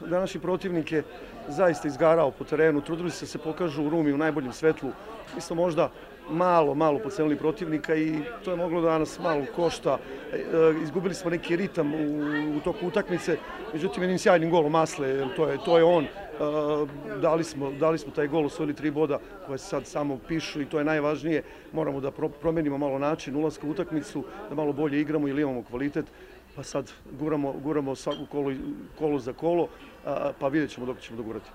današnji protivnik je zaista izgarao po terenu, trudili se da se pokažu u Rumi u najboljem svetlu. Mi smo možda malo podcenili protivnika i to je moglo da nas malo košta. Izgubili smo neki ritam u toku utakmice, međutim jednim sjajnim golom Masle, to je on. Dali smo taj gol, osvojili 3 boda koje se sad samo pišu i to je najvažnije. Moramo da promenimo malo način ulaska u utakmicu, da malo bolje igramo ili imamo kvalitet. Pa sad guramo svaku kolo za kolo, pa vidjet ćemo dok ćemo dogurati.